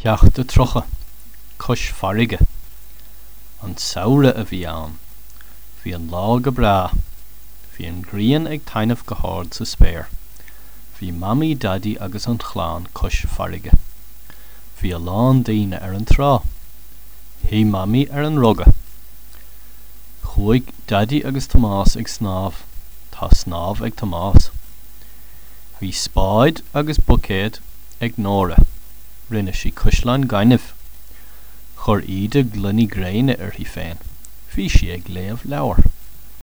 Ceacht 30, Cois Farraige. An samhradh a bhí ann. Bhí an lá go breá. Bhí an ghrian ag taitneamh go hard sa spéir. Bhí Mamaí, Daidí agus an chlann cois farraige. Bhí a lán daoine ar an trá. Shuigh Mamaí ar an ruga. Chuaigh Daidí agus Tomás ag snámh. Tá snámh ag Tomás. Bhí spáid agus buicéad ag Nóra. Rinne sí caisleáin gainimh. Chuir Íde gloiní gréine uirthi féin. Bhí sí ag léamh leabhar.